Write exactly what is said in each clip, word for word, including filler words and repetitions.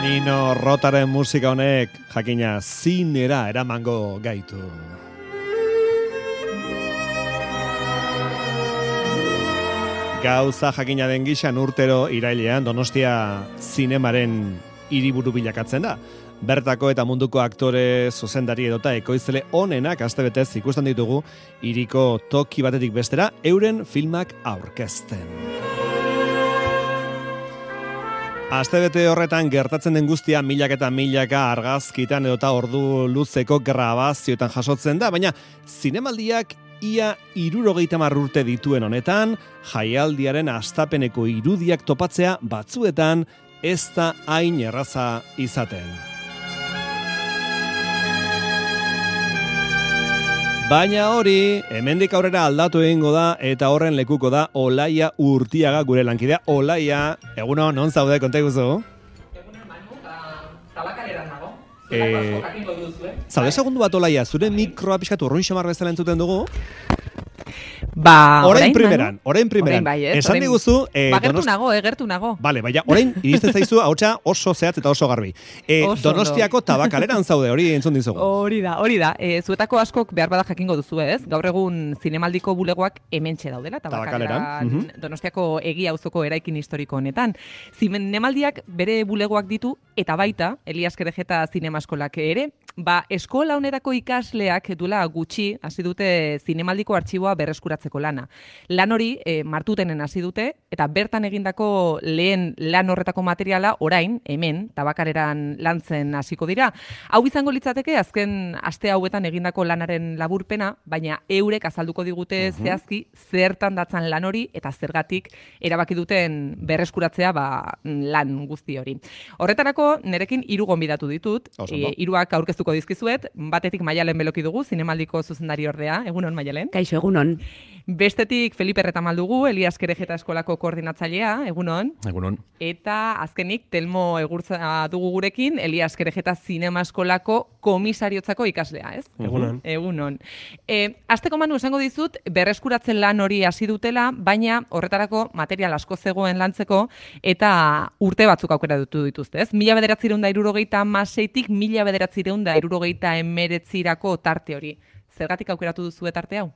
Nino Rotaren musika honek jakina zinera eramango gaitu. Gauza jakina den gixan urtero irailean Donostia zinemaren hiriburu bilakatzen da. Bertako eta munduko aktore, zuzendari edota ekoizle onenak astebetez ikusten ditugu hiriko toki batetik bestera euren filmak aurkezten. Astebete horretan gertatzen den guztia milak eta milaka argazkitan edota ordu luzeko grabazioetan jasotzen da, baina zinemaldiak ia hirurogeita hamar urte dituen honetan, jaialdiaren hastapeneko irudiak topatzea batzuetan ez da hain erraza izaten. Baina hori, hemendik aurrera aldatu egingo da eta horren lekuko da Olaia Urtiaga gure lankidea. Olaia, eguno, non zaude, konta iguzu? Egunen Manu, tabakaleran nago. Eh, zaude segundu bat, Olaia, zure mikroa pixkatu urruin xamar bezala entzuten dugu? Ba, orain primeran, orain primeran. Bai, ez, esan diguzu... Eh, ba, gertu nago, eh, gertu nago. Bale, baina, orain iristen zaizu ahotsa oso zehatz eta oso garbi. Eh, Oso Donostiako tabakaleran zaude, hori entzun dizugu. Hori da, hori da. E, zuetako askok behar bada jakingo duzu ez. Gaur egun zinemaldiko bulegoak hementxe daudela, tabakaleran, Tabakaleran, mhm. Donostiako Egia auzoko eraikin historiko honetan. Zinemaldiak bere bulegoak ditu, eta baita, Elias Kerejeta zinemaskolak ere, ba, eskola honerako ikasleak duela gutxi hasi dute zinemaldiko artxiboa berreskuratzeko lana. Lan hori e, martutenen hasi dute, eta bertan egindako lehen lan horretako materiala orain, hemen, tabakareran lantzen hasiko dira. Hau izango litzateke, azken aste hauetan egindako lanaren laburpena, baina eurek azalduko digute Mhm. zehazki zertan datzan lan hori, eta zergatik erabaki duten berreskuratzea ba, lan guzti hori. Horretarako, nerekin hiru gonbidatu ditut, Oso ondo. e, hiruak aurkeztuko dizkizuet, batetik Maialen Beloki dugu, zinemaldiko zuzendari ordea, egunon Maialen. Kaixo, egunon. Bestetik Felipe Retamal dugu, Elias Kerejeta eskolako koordinatzailea, egunon. Egunon. Eta azkenik Telmo Egurtza dugu gurekin, Elias Kerejeta zinema eskolako komisariotzako ikaslea, ez? Egunon. Egunon. E, Asteko Manu esango dizut, berreskuratzen lan hori hasi dutela, baina horretarako material asko zegoen lantzeko, eta urte batzuk aukera dutu dituzte, ez? Mila bederatzireun da irurogeita hamaseitik mila bederatzireun da irurogeita emeretzirako tarte hori. Zergatik aukeratu duzu tarte hau?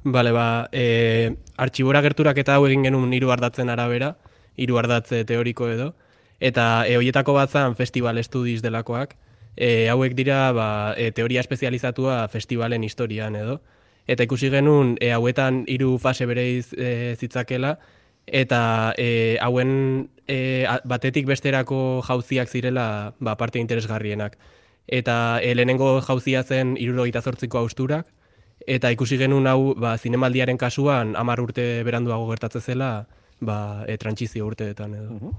Bale, ba, e, artxibora gerturak eta hau egin genuen hiru ardatzen arabera, hiru ardatze teoriko edo, eta e, hoietako bat zan Festival Studies delakoak, e, hauek dira ba, e, teoria espezializatua festivalen historian edo, eta ikusi genuen e, hauetan hiru fase bereiz e, zitzakela, eta e, hauen e, batetik besterako jauziak zirela ba, parte interesgarrienak. Eta e, lehenengo jauzia zen hirurogeita zortziko austurak, eta ikusi genuen hau ba, zinemaldiaren kasuan hamar urte beranduago gertatzen zela ba, e, trantsizio urteetan edo.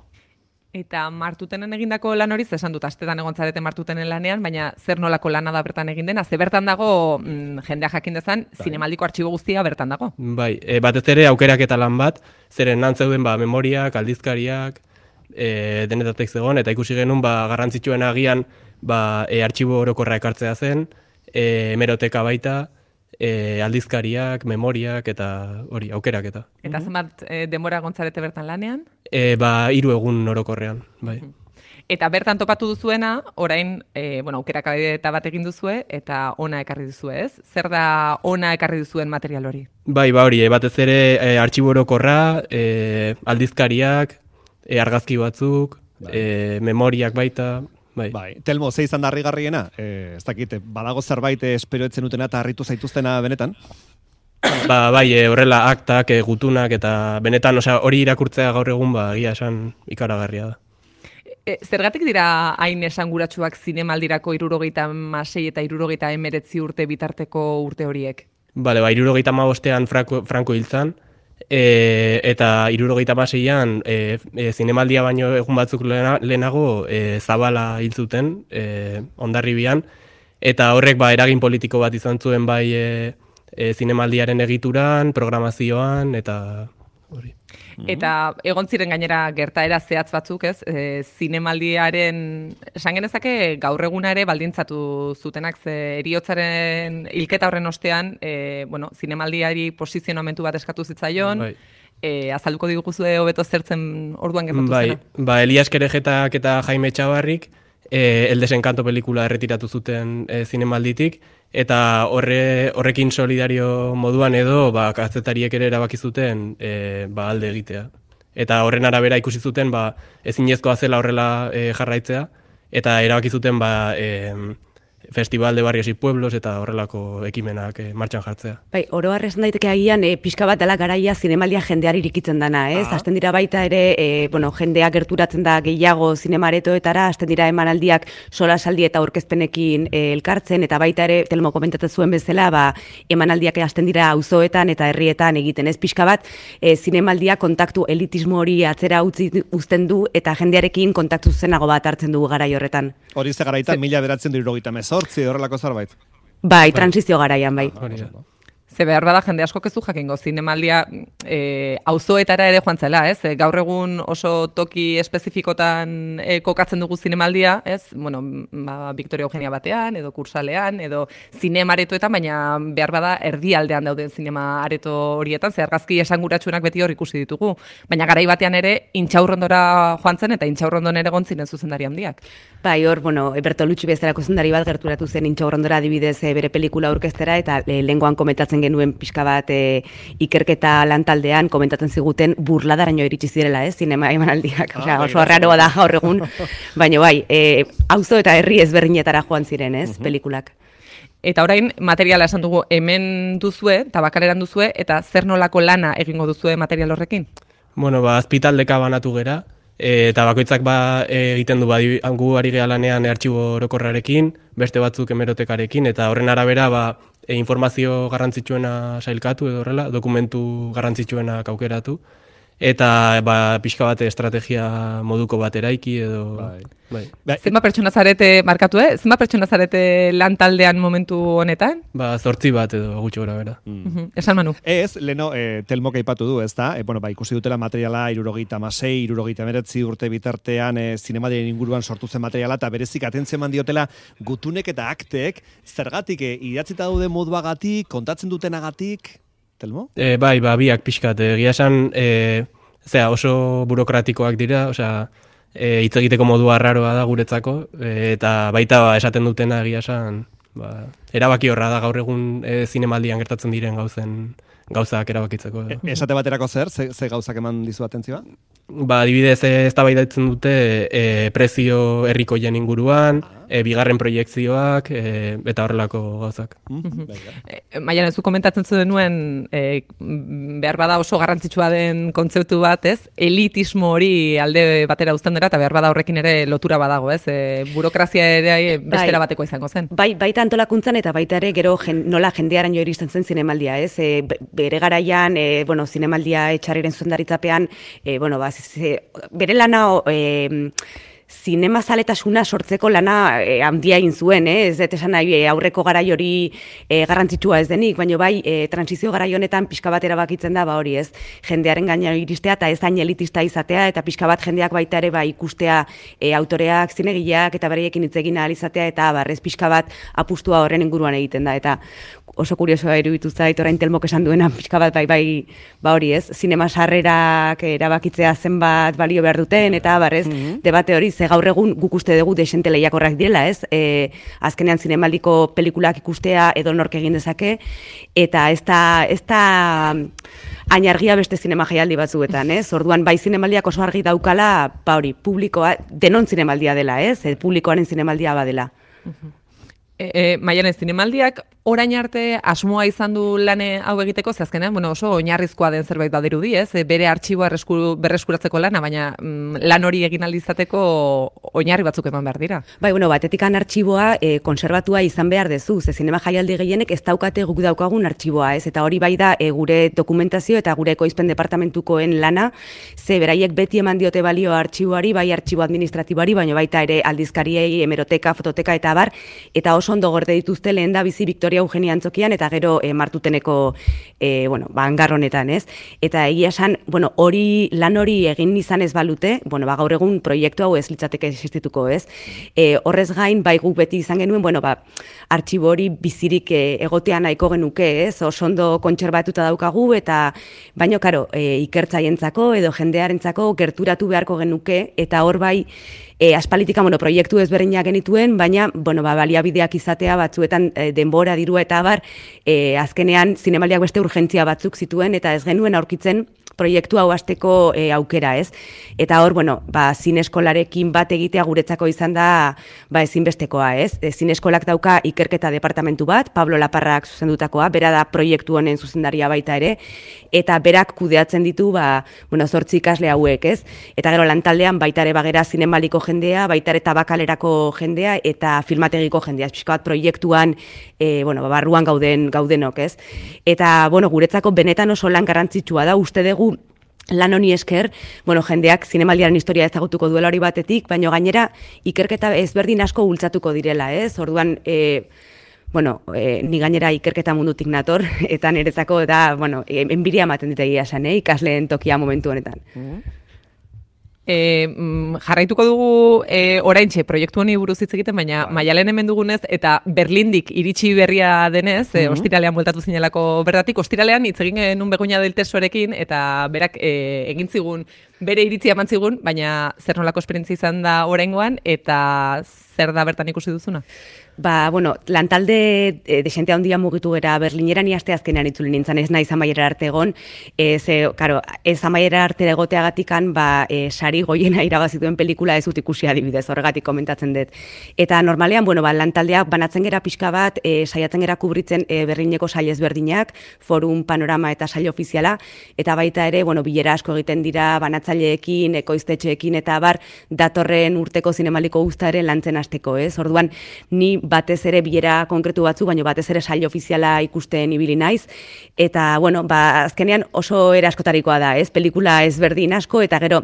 Eta martutenen egindako lan hori, esan dut, astetan egon zarete martutenen lanean, baina zer nolako lana da bertan egin dena, ze bertan dago, mm, jendea jakin dezan, zinemaldiko artxibo guztia bertan dago. Bai, e, batez ere aukerak eta lan bat, zeren nan zeuden ba, memoriak, aldizkariak, e, denetatek zegoen, eta ikusi genuen ba, garrantzitsuen agian ba, e, artxibo orokorra ekartzea zen, e, hemeroteka baita, E, aldizkariak, memoriak eta hori, aukerak eta. Eta zenbat e, denbora gontzarete bertan lanean? E, ba, hiru egun orokorrean, bai. Eta bertan topatu duzuena, orain, e, bueno, aukerak eta bat egin duzue, eta ona ekarri duzue, ez? Zer da ona ekarri duzuen material hori? Bai, ba hori, e, batez ere e, artxibo orokorra, e, aldizkariak, e, argazki batzuk, e, memoriak baita. Bai. Bai, Telmo, ze izan da harrigarriena? Eh, ez dakit, badago zerbait espero etzen utena eta harritu zaituztena benetan? Ba, bai, e, horrela aktak, e, gutunak eta benetan, osea, hori irakurtzea gaur egun ba egia esan ikaragarria da. E, zergatik dira hain esanguratsuak zinemaldirako hirurogeita hamasei eta hirurogeita hemeretzi urte bitarteko urte horiek? Bale, ba, hirurogeita hamabostean Franco, Franco hiltzan, e, eta hirurogeita hamaseian e, e, zinemaldia baino egun batzuk lehena, lehenago e, Zabala hil zuten, e, Hondarribian, eta horrek ba, eragin politiko bat izan zuen bai e, e, zinemaldiaren egituran, programazioan, eta hori. Eta egon ziren gainera gertaera zehatz batzuk, ez? E, zinemaldiaren, esan genezake gaur eguna ere baldintzatu zutenak, ze eriotzaren hilketa horren ostean, e, bueno, zinemaldiari posizionamentu bat eskatu zitzaion, Bai. e, azalduko diguzue hobeto zertzen orduan gertatu bai, zena. Ba, Elias Kerejetak eta Jaime Txabarrik e, El Desencanto pelikula erretiratu zuten e, zinemalditik, eta horre, horrekin solidario moduan edo ba, kazetariek ere erabaki zuten e, ba, alde egitea. Eta horren arabera ikusi zuten ba, ezinezkoa zela horrela e, jarraitzea, eta erabaki zuten ba, e, Festival de Barrios y Pueblos eta horrelako ekimenak e, martxan jartzea. Bai, oro har esan daiteke agian e, pixka bat dela garaia zinemaldia jendeari irikitzen dana, ez? Ah. Hasten dira baita ere, e, bueno, jendea gerturatzen da gehiago zinemaretoetara, hasten dira emanaldiak solasaldi eta aurkezpenekin e, elkartzen, eta baita ere, Telmo komentatzen zuen bezala, ba, emanaldiak hasten dira auzoetan eta herrietan egiten, ez? Pixka bat, e, zinemaldia kontaktu elitismo hori atzera utzi uzten du, eta jendearekin kontaktu zenago bat hartzen dugu garai horretan. Hori ze garaitan, mila beratzen du hirurogeita hemezortzi, horrelako zerbait. Bai, transizio garaian, bai. Hori da. Ze behar bada jende asko ez du jakingo, zinemaldia e, auzoetara ere joan zela, ez? E, gaur egun oso toki espezifikotan e, kokatzen dugu zinemaldia, ez? Bueno, ba, Victoria Eugenia batean, edo Kursalean, edo zinema aretoetan, baina behar bada erdialdean dauden zinema areto horietan, ze argazki esanguratsuenak beti hor ikusi ditugu. Baina garai batean ere Intxaurrondora joan zen, eta Intxaurrondon ere egon ziren zuzendari handiak. Bai, hor, bueno, Bertolucci bezalako zuzendari bat gerturatu zen Intxaurrondora adibidez e, bere pelikula aurkeztera, eta e, lehengoan komentatzen genuen pixka bat e, ikerketa lantaldean komentatzen ziguten burladaraino iritsi zirela, ez, zinema emanaldiak. Ah, Osea, bai, oso arraroa da gaur egun, baina bai, e, auzo eta herri ezberdinetara joan ziren, ez, pelikulak. Eta orain materiala esan dugu hemen duzue, tabakaleran duzue, eta zer nolako lana egingo duzue material horrekin? Bueno, ba, azpitaldeka banatu gera, e, eta bakoitzak ba, e, egiten du, ba, gu ari gea lanean e, artxibo orokorrarekin, beste batzuk hemerotekarekin, eta horren arabera ba, e, informazio garrantzitsuena sailkatu edo horrela, dokumentu garrantzitsuenak aukeratu, eta ba, pixka bat estrategia moduko bat eraiki edo... Bai. Bai. Bai, Zenba pertsona zarete markatu, eh? Zenba pertsona zarete lan taldean momentu honetan? Ba, zortzi bat edo gutxi gora bera. Mhm. Esan Manu. Ez, leno, e, Telmok aipatu du, ez da? E, bueno, ba, ikusi dutela materiala irurogeita hamasei, irurogeita hemeretzi urte bitartean e, zinemadien inguruan sortu zen materiala, eta berezik atentzio eman diotela gutunek eta aktek, zergatik e, idatzita daude moduagatik, kontatzen dutenagatik, Telmo? E, bai, ba, biak pixkat, egia esan, e, zera, oso burokratikoak dira, osea, e, hitz egiteko modua arraroa da guretzako, e, eta baita ba, esaten dutena egia esan, ba, erabaki horra da gaur egun e, zinemaldian gertatzen diren gauzen gauzak erabakitzeko. E, esate baterako zer, ze, ze gauzak eman dizu atentzioa? Ba, adibidez, ez da baidatzen dute e, prezio herrikoien inguruan, e, bigarren proiektzioak, e, eta horrelako gauzak. Mm-hmm. E, Maian, ez du komentatzen zuen nuen, e, behar bada oso garrantzitsua den kontzeptu bat, ez? Elitismo hori alde batera uzten dira, eta behar bada horrekin ere lotura badago, ez? E, burokrazia ere bestera bateko izango zen. Bai, baita antolakuntzan eta baita ere gero jen, nola jendearen jo iristen zen zinemaldia, ez? E, bere garaian, e, bueno, zinemaldia etxarriren zuzendaritzapean, e, bueno, ba, ze, bere lana... E, zinema zaletasuna sortzeko lana e, handia egin zuen, eh? Ez dut esan nahi e, aurreko garai hori e, garrantzitsua ez denik, baina bai, e, transizio garai honetan pixka bat erabakitzen da, ba hori ez, jendearen gaina iristea eta ez hain elitista izatea, eta pixka bat jendeak baita ere ba, ikustea e, autoreak, zinegileak eta bereiekin hitz egin ahal izatea, eta barrez pixka bat apustua horren inguruan egiten da, eta oso kuriosoa iruditu zait orain Telmok esan duena pixka bat bai bai ba hori ez, zinema sarrerak erabakitzea zenbat balio behar duten, eta barrez mm-hmm. debate hori ze gaur egun guk uste dugu desente lehiakorrak direla, ez? E, azkenean zinemaldiko pelikulak ikustea edo nork egin dezake, eta ez da, ez da hain argia beste zinema jaialdi batzuetan, ez? Orduan bai zinemaldiak oso argi daukala, ba hori, publikoa, denon zinemaldia dela, ez? E, publikoaren zinemaldia badela. Uh-huh. E, e, Maian, zinemaldiak orain arte asmoa izan du lane hau egiteko, ze azkenean, bueno, oso oinarrizkoa den zerbait badirudi, ez? E, bere artxiboa berreskuratzeko lana, baina mm, lan hori egin aldizateko oinarri batzuk eman behar dira. Bai, bueno, batetikan artxiboa e, konserbatua izan behar dezu, ze zinema jaialdi gehienek ez daukate guk daukagun artxiboa, ez? Eta hori bai da e, gure dokumentazio eta gure ekoizpen departamentukoen lana, ze beraiek beti eman diote balio artxiboari, bai artxibo administratiboari, baina baita ere aldizkariei, hemeroteka, fototeka eta abar, eta oso oso ondo gorde dituzte lehen da bizi Victoria Eugenia Antzokian eta gero e, Martuteneko e, bueno, ba, hangar honetan, ez? Eta egia esan, bueno, hori lan hori egin izan ez balute, bueno, ba, gaur egun proiektu hau ez litzateke existituko, ez? E, horrez gain, bai guk beti izan genuen, bueno, ba, artxibo hori bizirik e, egotea nahiko genuke, ez? Oso ondo kontserbatuta daukagu eta baino karo, e, ikertzaientzako edo jendearentzako gerturatu beharko genuke eta hor bai E, aspalitika, bueno, proiektu ezberdinak genituen, baina, bueno, ba, baliabideak izatea batzuetan e, denbora, dirua eta abar, e, azkenean zinemaldiak beste urgentzia batzuk zituen, eta ez genuen aurkitzen proiektu hau hasteko e, aukera, ez? Eta hor, bueno, ba, zineskolarekin bat egitea guretzako izan da, ba, ezinbestekoa, ez? E, zineskolak dauka ikerketa departamentu bat, Pablo Laparrak zuzendutakoa, bera da proiektu honen zuzendaria baita ere, eta berak kudeatzen ditu, ba, bueno, zortzi ikasle hauek, ez? Eta gero lantaldean baita ere bagera zinemaldiko jendea, baita ere tabakalerako jendea eta filmategiko jendea, pixka bat proiektuan, e, bueno, barruan gauden gaudenok, ez? Eta, bueno, guretzako benetan oso lan garrantzitsua da, uste dugu lan honi esker, bueno, jendeak zinemaldiaren historia ezagutuko duela hori batetik, baina gainera ikerketa ezberdin asko bultzatuko direla, ez? Orduan, e, bueno, e, ni gainera ikerketa mundutik nator, eta niretzako da, bueno, enbiria ematen ditegia esan, eh? Ikasleen tokia momentu honetan. Mm-hmm. E, jarraituko dugu e, oraintxe proiektu honi buruz hitz egiten, baina bai. Maialen hemen dugunez eta Berlindik iritsi berria denez, mm-hmm. e, ostiralean bueltatu zinelako bertatik, ostiralean hitz egin genuen Begoña del Tesorekin eta berak e, egin zigun bere iritzia eman zigun, baina zer nolako esperientzia izan da oraingoan eta zer da bertan ikusi duzuna? Ba, bueno, lantalde e, desente handia mugitu gera Berlinera ni aste azkenean itzuli nintzen, ez naiz amaiera arte egon, ez, e, karo, ez amaiera arte egoteagatikan, ba, e, sari goiena irabazituen pelikula ez dut ikusi adibidez, horregatik komentatzen dut. Eta normalean, bueno, ba, lantaldeak banatzen gera pixka bat, e, saiatzen gera kubritzen e, Berlineko sail ezberdinak, forum, panorama eta sail ofiziala, eta baita ere, bueno, bilera asko egiten dira banatzaileekin, ekoiztetxeekin eta bar, datorren urteko zinemaldiko guztaren lantzen hasteko, ez? Orduan, ni batez ere bilera konkretu batzu, baina batez ere sail ofiziala ikusten ibili naiz, eta, bueno, ba, azkenean oso era askotarikoa da, ez? Pelikula ezberdin asko, eta gero,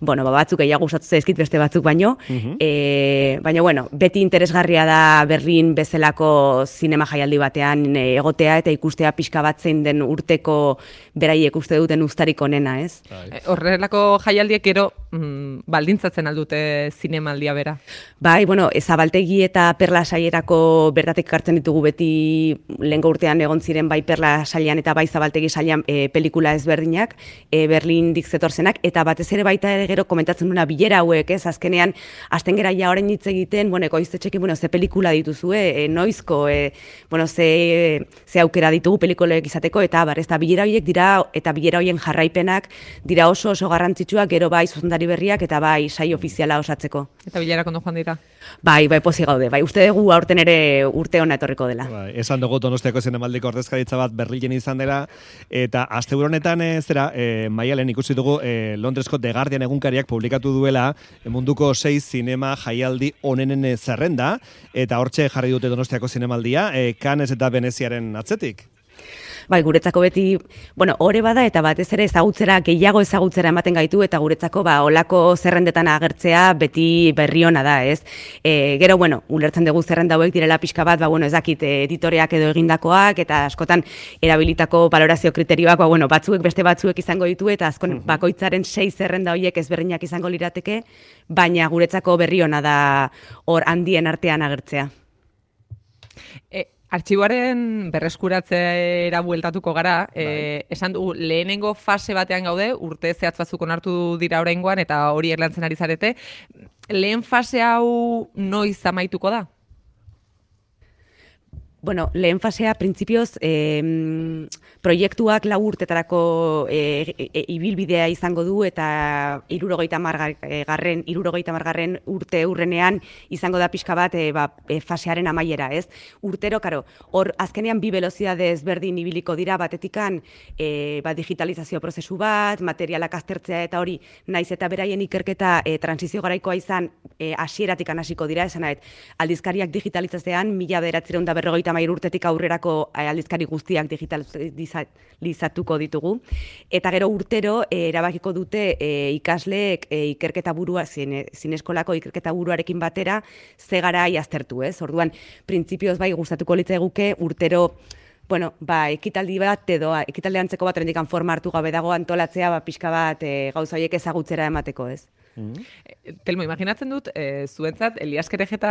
bueno, ba, batzuk gehiago gustatu zaizkit beste batzuk baino, uh-huh. e, baina, bueno, beti interesgarria da Berlin bezalako zinema jaialdi batean e, egotea eta ikustea pixka bat zein den urteko beraiek uste duten uztarik onena, ez? E, horrelako jaialdiek gero mm, baldintzatzen aldute zinemaldia bera? Bai, bueno, Zabaltegi eta Perla saierako bertatik hartzen ditugu beti lehengo urtean egon ziren bai Perla sailean eta bai Zabaltegi sailean e, pelikula ezberdinak, e, Berlindik zetorzenak, eta batez ere baita ere gero komentatzen duna bilera hauek, ez, azkenean, azten gera ja orain hitz egiten, bueno, ekoiztetxekin, bueno, ze pelikula dituzue, e, noizko, e, bueno, ze, ze aukera ditugu pelikulek izateko, eta bar, ez da, bilera horiek dira, eta bilera horien jarraipenak dira oso oso garrantzitsuak, gero bai zuzendari berriak, eta bai sai ofiziala osatzeko. Eta bilera kondo joan dira? Bai, bai, pozik gaude, bai, uste dugu aurten ere urte hona etorriko dela. Bai, esan dugu Donostiako zinemaldiko ordezkaritza bat Berlinen izan dela, eta asteburu honetan e, zera, e, Maialen ikusi dugu e, Londresko The Guardian egunkariak publikatu duela munduko sei zinema jaialdi onenen zerrenda, eta hortxe jarri dute Donostiako zinemaldia, e, Cannes eta Veneziaren atzetik. Bai, guretzako beti, bueno, ore bada eta batez ere ezagutzera, gehiago ezagutzera ematen gaitu eta guretzako ba olako zerrendetan agertzea beti berri ona da, ez? E, gero, bueno, ulertzen dugu zerrenda hauek direla pixka bat, ba, bueno, ez dakit, editoreak edo egindakoak eta askotan erabilitako valorazio kriterioak, ba, bueno, batzuek beste batzuek izango ditu eta azkon bakoitzaren sei zerrenda horiek ezberdinak izango lirateke, baina guretzako berri ona da hor handien artean agertzea. E Artxiboaren berreskuratzera bueltatuko gara, bai. e, esan dugu lehenengo fase batean gaude, urte zehatz batzuk onartu dira oraingoan eta horiek lantzen ari zarete. Lehen fase hau noiz amaituko da? Bueno, lehen fasea, printzipioz, eh, proiektuak lau urtetarako eh, e, ibilbidea izango du eta hirurogeita hamargarren hirurogeita hamargarren urte urrenean izango da pixka bat e, ba, e, fasearen amaiera, ez? Urtero, karo, hor azkenean bi velozitate ezberdin ibiliko dira batetikan e, ba, digitalizazio prozesu bat, materialak aztertzea eta hori, naiz eta beraien ikerketa e, transizio garaikoa izan e, hasieratik hasiko dira, esan nahet, aldizkariak digitalizazioan mila bederatziehun eta berrogeita hogeita hamairu urtetik aurrerako aldizkari guztiak digitalizatuko ditugu. Eta gero urtero e, erabakiko dute e, ikasleek e, ikerketa burua, zine, zineskolako ikerketa buruarekin batera, ze garai aztertu, ez? Orduan, printzipioz bai gustatuko litzaiguke urtero bueno, ba, ekitaldi bat edo ekitaldi antzeko bat rendikan forma hartu gabe dago antolatzea, ba, pixka bat e, gauza horiek ezagutzera emateko, ez? Mm. Telmo, imaginatzen dut, e, zuentzat, Elias Kerejeta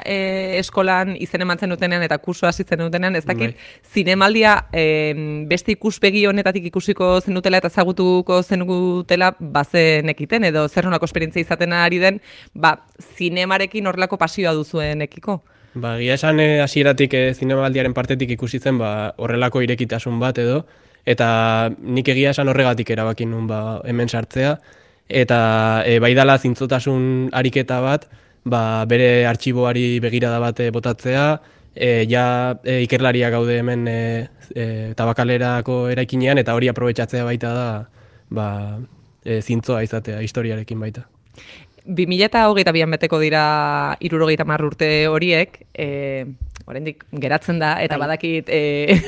e, eskolan izen emantzen dutenean eta kurso hasitzen dutenean, ez dakit, bai. Zinemaldia e, beste ikuspegi honetatik ikusiko zenutela eta ezagutuko zenutela bazenekiten, edo zer nolako esperientzia izaten ari den, ba, zinemarekin horrelako pasioa duzuenekiko? Ba, gia esan hasieratik e, zinemaldiaren partetik ikusi zen ba, horrelako irekitasun bat edo, eta nik egia esan horregatik erabakin nun ba, hemen sartzea, eta e, bai dala zintzotasun ariketa bat, ba, bere artxiboari begirada bat botatzea, e, ja e, ikerlariak gaude hemen e, e, tabakalerako eraikinean, eta hori aprobetxatzea baita da ba, e, zintzoa izatea historiarekin baita. bi mila hogeita bian beteko dira hirurogeita hamar urte horiek, e, oraindik geratzen da, eta bai. Badakit e,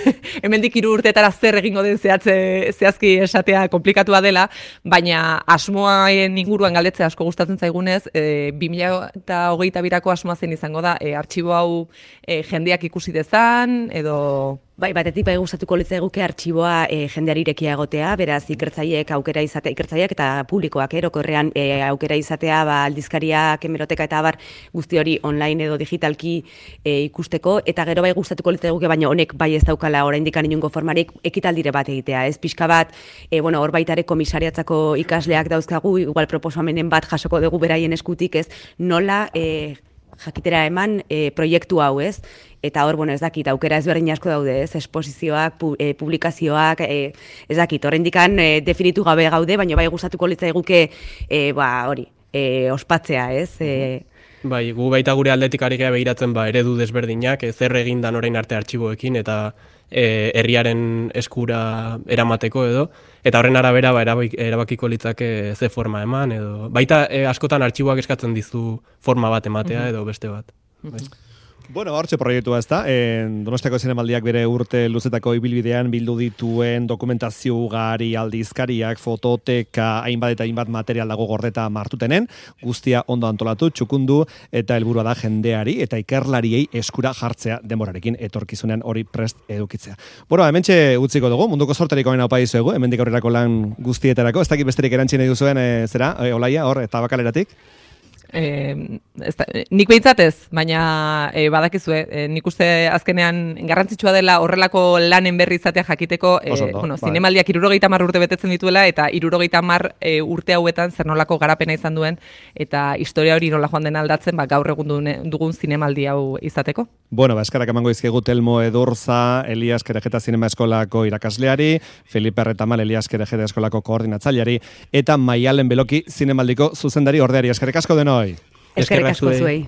hemendik hiru urteetara zer egingo den zehatze, zehazki esatea komplikatua dela, baina asmoaen inguruan galdetzea asko gustatzen zaigunez, e, bi mila hogeita birako asmoa zen izango da, e, artxibo hau e, jendeak ikusi dezan, edo... Bai, batetik bai gustatuko litzaiguke artxiboa e, jendeari irekia egotea, beraz ikertzaileek aukera izatea, ikertzaileak eta publikoak erokorrean e, aukera izatea, ba, aldizkariak, hemeroteka eta abar guzti hori online edo digitalki e, ikusteko, eta gero bai gustatuko litzaiguke, baina honek bai ez daukala oraindik inongo formarik ekitaldire bat egitea, ez pixka bat, e, bueno, hor baitare komisariatzako ikasleak dauzkagu, igual proposamenen bat jasoko dugu beraien eskutik, ez, nola e, jakitera eman e, proiektu hau, ez? Eta hor, bueno, ez dakit, aukera ezberdin asko daude, ez? Esposizioak, pu, e, publikazioak, e, ez dakit, horrendikan e, definitu gabe gaude, baina bai gustatuko litzaiguke, e, ba, hori, e, ospatzea, ez? E, Bai, gu baita gure aldetik ari gea behiratzen ba, eredu desberdinak, e, zer egin dan orain arte artxiboekin, eta e, herriaren eskura eramateko edo, eta horren arabera ba, erabakiko litzake ze forma eman, edo baita e, askotan artxiboak eskatzen dizu forma bat ematea edo beste bat. Bai. Bueno, hortxe proiektua ez da, Donostiako Zinemaldiak bere urte luzetako ibilbidean bildu dituen dokumentazio ugari, aldizkariak, fototeka, hainbat eta hainbat material dago gordeta martutenen, guztia ondo antolatu, txukundu, eta helburua da jendeari eta ikerlariei eskura jartzea denborarekin etorkizunean hori prest edukitzea. Bueno, hementxe utziko dugu, munduko sorterik omen haupa dizuegu, hemendik aurrerako lan guztietarako, ez dakit besterik erantzine duzuen, e, zera, e, Olaia, hor, eta bakaleratik? Eh, ez da, nik behintzatez, baina eh, badakizue, eh, nik uste azkenean garrantzitsua dela horrelako lanen berri izatea jakiteko, eh, bueno, bai. Zinemaldiak hirurogeita hamar urte betetzen dituela, eta hirurogeita hamar eh, urte hauetan zer nolako garapena izan duen, eta historia hori nola joan den aldatzen, ba, gaur egun dugun zinemaldi hau izateko. Bueno, ba, eskarak emango izkegu Telmo Edurza, Elias Kerejeta Zinema Eskolako irakasleari, Felipe Arretamal, Elias Kerejeta Eskolako koordinatzaileari, eta Maialen Beloki Zinemaldiko zuzendari ordeari. Eskerrik asko denoi. Eskerrik asko zuei.